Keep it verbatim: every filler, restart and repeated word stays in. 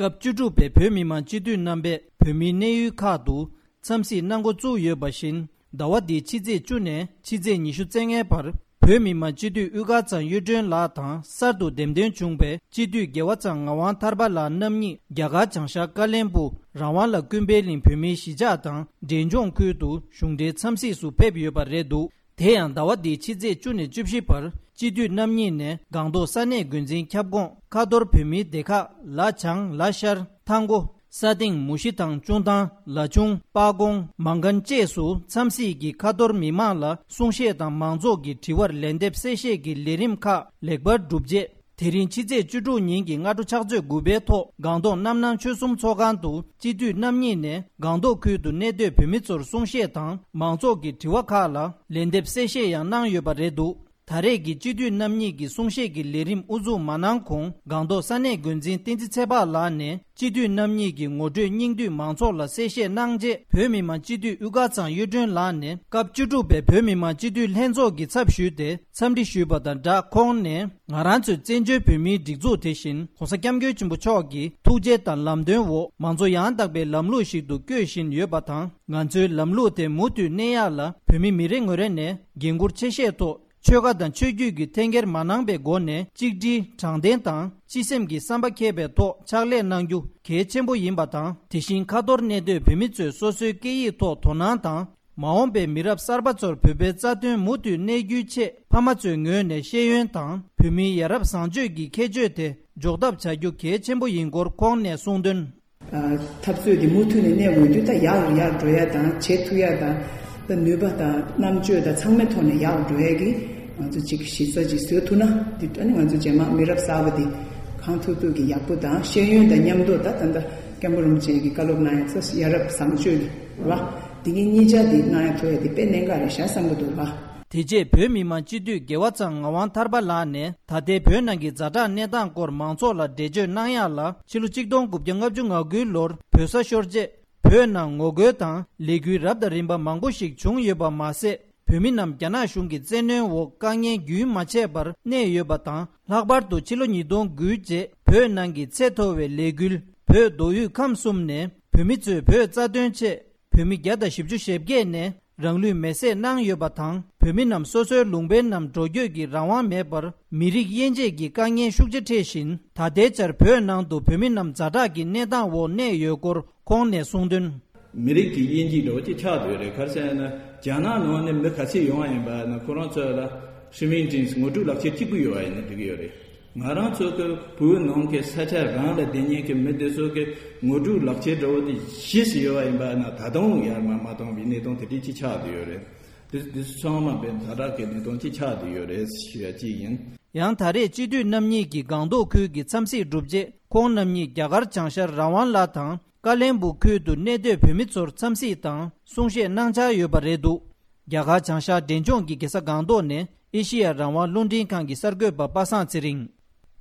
སྐབས་བཅུ་དྲུག་པའི་བོད་མི་མང་སྤྱི་འཐུས་རྣམ་པས་བོད་མིའི་གནས་ཡུལ་ཁག་ཏུ་འཚམས་གཟིགས་གནང་འགོ་བཙུགས་ཡོད་པ་བཞིན། ཟླ་བ་འདིའི་ཕྱི་ཚེས་བཅུ་ནས་ཕྱི་ཚེས་ཉི་ཤུ་རྩ་ལྔའི་བར། བོད་མི་མང་སྤྱི་འཐུས་དབུ་དཀར་ཚང་གཡུ་སྒྲོན་ལགས་དང་། གསར་དུ་འདེམས་ཐོན་བྱུང་བའི་སྤྱི་འཐུས་རྒྱལ་བ་ཚང་ངག་དབང་ཐར་པ་ལགས་རྣམ་གཉིས། རྒྱ་གར་བྱང་ཤར་ཀ་ལན་སྦུག་རང་དབང་ལ་ཀུན་ཕན་གླིང་བོད་མིའི་གཞིས་ཆགས་དང་འབྲས་ལྗོངས་ཁུལ་དུ་གཞུང་འབྲེལ་འཚམས་གཟིགས་སུ་ཕེབས་ཡོད་པ་རེད་འདུག་དེ་ཡང་ཟླ་བ་འདིའི་ཕྱི་ཚེས་བཅུ་ནས་བཅུ་བཞི་བར། སྤྱི་འཐུས་རྣམ་གཉིས་ནས་སྒང་ཏོག་ས་གནས་འགོ་འཛིན་ཁྱབ་ཁོངས་ཁ་ཐོར་བོད་མིའི་སྡེ་ཁག་ལ་བྱང་། ལ་ཤར། ཐང་གོ། ས་སྟེང་། མུ་ཤི་དང་། ཅུང་ཐང་། ལ་ཆུང་། པ་ཀོང་། མང་ཁན་བཅས་སུ་འཚམས་གཟིགས་ཀྱིས་ཁ་ཐོར་མི་མང་ལ་གསུང་བཤད་དང་མང་ཚོགས་ཀྱི་དྲི་བར་ལན་འདེབས་གསལ་བཤད་ཀྱི་ལས་རིམ་ཁག་ལེགས་པར་གྲུབ་རྗེས། དེ་རིང་ཕྱི་ཚེས་བཅུ་དྲུག་ཉིན་གྱི་སྔ་དྲོ་ཕྱག་ཚོད་དགུ་པའི་ཐོག་སྒང་ཏོག་རྣམ་སྣང་ཆོལ་གསུམ་ཚོགས་ཁང་དུ་སྤྱི་འཐུས་རྣམ་གཉིས་ནས་སྒང་ཏོག་ཁུལ་དུ་གནས་སྡོད་བོད་མི་ཚོར་གསུང་བཤད་དང་མང་ཚོགས་ཀྱི་དྲི་བ་ཁག་ལ་ལན་འདེབས་གསལ་བཤད་ཡང་གནང་ཡོད་པ་རེད་འདུག་ད་རེས་ཀྱི་སྤྱི་འཐུས་རྣམ་གཉིས་ཀྱི་གསུང་བཤད་ཀྱི་ལས་རིམ་དབུ་འཛུགས་མ་གནང་གོང་། སྒང་ཏོག་ས་གནས་འགོ་འཛིན་བསྟན་འཛིན་ཚེ་དཔག་ལགས་ནས་སྤྱི་འཐུས་རྣམ་གཉིས་ཀྱི་ངོ་སྤྲོད་སྙིང་བསྡུས་མང་ཚོགས་ལ་གསལ་བཤད་གནང་རྗེས། བོད་མི་མང་སྤྱི་འཐུས་དབུ་དཀར་ཚང་གཡུ་སྒྲོན་ལགས་ནས་སྐབས་བཅུ་དྲུག་པའི་བོད་མི་མང་སྤྱི་འཐུས་ལྷན་ཚོགས་ཀྱི་ཚབ་ཞུས་ཏེ་འཚམས་འདྲི་ཞུས་པ་དང་སྦྲགས། ཁོང་ནས་ང་རང་ཚོའི་བཙན་བྱོལ་བོད་མིའི་སྒྲིག་འཛུགས་དེ་བཞིན་༸གོང་ས་༸སྐྱབས་མགོན་ཆེན་པོ་མཆོག་གི་ཐུགས་རྗེ་དང་ལམ་སྟོན་འོག་མང་གཙོ་ཡང་དག་པའི་ལམ་ལུགས་ཤིག་ཏུ་བསྐྱོད་བཞིན་ཡོད་པ་དང་། ང་ཚོའི་ལམ་ལུགས་དེ་མུ་མཐུད་གནས་ཡག་ལ་བོད་མི་མི་རེ་ངོ་རེ་ནས་འགན་འཁུར་ཆེ་བཞེས་ཐོག་ཆོལ་ཁ་དང་ཆོས་བརྒྱུད་ཀྱི་འཐེན་འཁྱེར་མ་གནང་པའི་སྒོ་ནས་གཅིག་སྒྲིལ་དྲང་བདེན་དང་སྤྱི་སེམས་ཀྱི་བསམ་པ་འཁྱེར་བའི་ཐོག་ཕྱག་ལས་གནང་རྒྱུ་གལ་ཆེན་པོ་ཡིན་པ་དང་། དེ་བཞིན་ཁ་ཐོར་གནས་སྡོད་བོད་མི་ཚོས་སོ་སོའི་སྐད་ཡིག་ཐོག་དོ་སྣང་དང་། མ་འོངས་པའི་མི་རབས་གསར་པ་ཚོར་བོད་པའི་རྩ་དོན་མུ་མཐུད་གནས་རྒྱུའི་ཆེད་ཕ་མ་ཚོའི་ངོས་ནས་ཤེས་ཡོན་དང་བོད་མིའི་ཡ་རབས་བཟང་སྤྱོད་ཀྱི་ཁྱད་ཆོས་དེ་འཇོག་ཐབས་བྱ་རྒྱུ་གལ་ཆེན་པོ་ཡིན་སྐོར་ཁོང་ནས་གསུངས་དོན། ཨ། འཐབ་རྩོད་འདི་མུ་མཐུད་ནས་གནས་འོས་དུས་ད་ཡག་རུ་ཡག་འགྲོ་ཡ་དང་བྱེད་ཐུབ་ཡ་དང་། ད་ནུས་པ་དང་རྣམ་དཔྱོད་དང་ཚང་མའི་ཐོག་ནས་ཡག་རུ་འགྲོ་ཡ་གི་ང་ཚོ་གཅིག་གཞི་རྩ་ཅིག་བཟོ་ཐུབ་ན། འདི་ཨ་ནི་ང་ཚོ་རྗེས་མ་མི་རབས་གསར་པ་འདི་གང་ཐུབ་ཐུབ་ཀྱི་ཡག་པོ་དང་ཤེས་ཡོན་དང་མཉམ་དུ་ད་ད་ལྟ་སྐྱབས་མགོན་རིན་པོ་ཆེ་གི་བཀའ་སློབ་གནང་ཡ་ཚོ་ཡ་རབས་བཟང་སྤྱོད་ཀྱི་རེད་བ། འདི་གི་གཉིས་ཆ་འདི་གནང་ཡ་ཐུབ་ཡ་འདི་དཔེ་གནད་འགག་རེད་ཤག་བསམ་གི་འདུག་བ། དེ་རྗེས་བོད་མི་མང་སྤྱི་འཐུས་རྒྱལ་བ་ཚང་ངག་དབང་ཐར་པ་ལགས་ནས་ད་ལྟའི་བོད་ནང་གི་ཛ་དྲག་གནས་སྟངས་སྐོར་མང་ཚོགས་ལ་འགྲེལ་བརྗོད་གནང་ཡག་ལ། ཕྱི་ལོ་གཅིག་སྟོང་དགུ་བརྒྱ་ལྔ་བཅུ་ང་དགུའི་ལོར་བོད་ས་ཤོར་རྗེས་བོད་ནང་ངོ་རྒོལ་དང་ལས་འགུལ་རབ་དང་རིམ་པ་མང་པོ་ཞིག་བྱུང་ཡོད་པ་མ་ཟད། བོད་མི་རྣམས་རྒྱ་ནག་གཞུང་གི་བཙན་གནོན་འོག་དཀའ་ངལ་རྒྱུན་མ་ཆད་པར་གནས་ཡོད་པ་དང་། ལྷག་པར་དུ་ཕྱི་ལོ་ཉིས་སྟོང་དགུའི་རྗེས་བོད་ནང་གི་ཚད་མཐོ་བའི་ལས་འགུལ་བོད་མདོ་དབུས་ཁམས་གསུམ་ནས་བོད་མི་ཚོས་བོད་རྩ་དོན་ཆེད་བོད་མི་བརྒྱ་དང་བཞི་བཅུ་ཞེ་བརྒྱད་ནས་རང་ལུས་མེར་སྲེག་གནང་ཡོད་པ་དང་། བོད་མི་རྣམས་སོ་སོའི་ལུང་པའི་ནང་འགྲོ་སྐྱོད་ཀྱི་རང་དབང་མེད་པར་མི་རིགས་དབྱེ་འབྱེད་ཀྱི་དཀའ་ངལ་ཤུགས་ཆེ་འཕྲད་བཞིན། ད་ལྟའི་ཆར་བོད་ནང་དུ་བོད་མི་རྣམས་ཛ་དྲག་གི་གནས་སྟངས་འོག་གནས་ཡོད་སྐོར་ཁོང་ནས་གསུངས་དོན། མི་རིགས་ཀྱི་དབྱེ་འབྱེད་འདྲ་བོ་ཅིག་ཆགས་བསྡད་ཡོད་རེད། ག་རེ་ཟེར་ན་རྒྱ་ནག་ནང་ནས་མི་ག་ཚོད་ཡོང་བ་ཡིན་པ་ན་ཁོ་རང་ཚོ་ལ་ཧྲི་མིང་ཅིང་ངོ་སྤྲོད་ལག་ཁྱེར་གཅིག་པུ་ཡོད་པ་ཡིན་ན་འགྲིག་གི་ཡོད་རེད། ང་རང་ཚོ་གི་བོད་ནང་གི་ས་ཆ་རང་ལ་བསྡད་མཁན་གྱི་མི་དེ་ཚོ་གི་ངོ་སྤྲོད་ལག་ཁྱེར་འདྲ་བོ་དེ་བཞི་ཞིག་ཡོད་པ་ཡིན་པ་ན་ད་དུང་ཡར་མར་མ་བཏང་བའི་གནས་སྟངས་དེ་འདྲ་ཅིག་ཆགས་བསྡད་ཡོད་རེད། དེ་དེ་ཚོ་ཚང་མ་དཔེ་ཛ་དྲག་གི་གནས་སྟངས་ཅིག་ཆགས་བསྡད་ཡོད་རེད་ཞུ་ཡ་གཅིག་ཡིན། ཡང་ད་རེས་སྤྱི་འཐུས་རྣམ་གཉིས་ཀྱིས་སྒང་ཏོག་ཁུལ་གྱི་འཚམས་གཟིགས་གྲུབ་རྗེས། ཁོང་རྣམ་གཉིས་རྒྱ་གར་བྱང་ཤར་རང་དབང་ལ་དང་། ཀ་ལན་སྦུག་ཁུལ་དུ་གནས་སྡོད་བོད་མི་ཚོར་འཚམས་གཟིགས་དང་གསུང་བཤད་གནང་འཆར་ཡོད་པ་རེད་འདུག་རྒྱ་གར་བྱང་ཤར་འབྲས་ལྗོངས་ཀྱི་རྒྱལ་ས་སྒང་ཏོག་ནས་ཨེ་ཤེ་ཡ་རང་དབང་རླུང་འཕྲིན་ཁང་གི་གསར་འགོད་པ་པ་སངས་ཚེ་རིང་།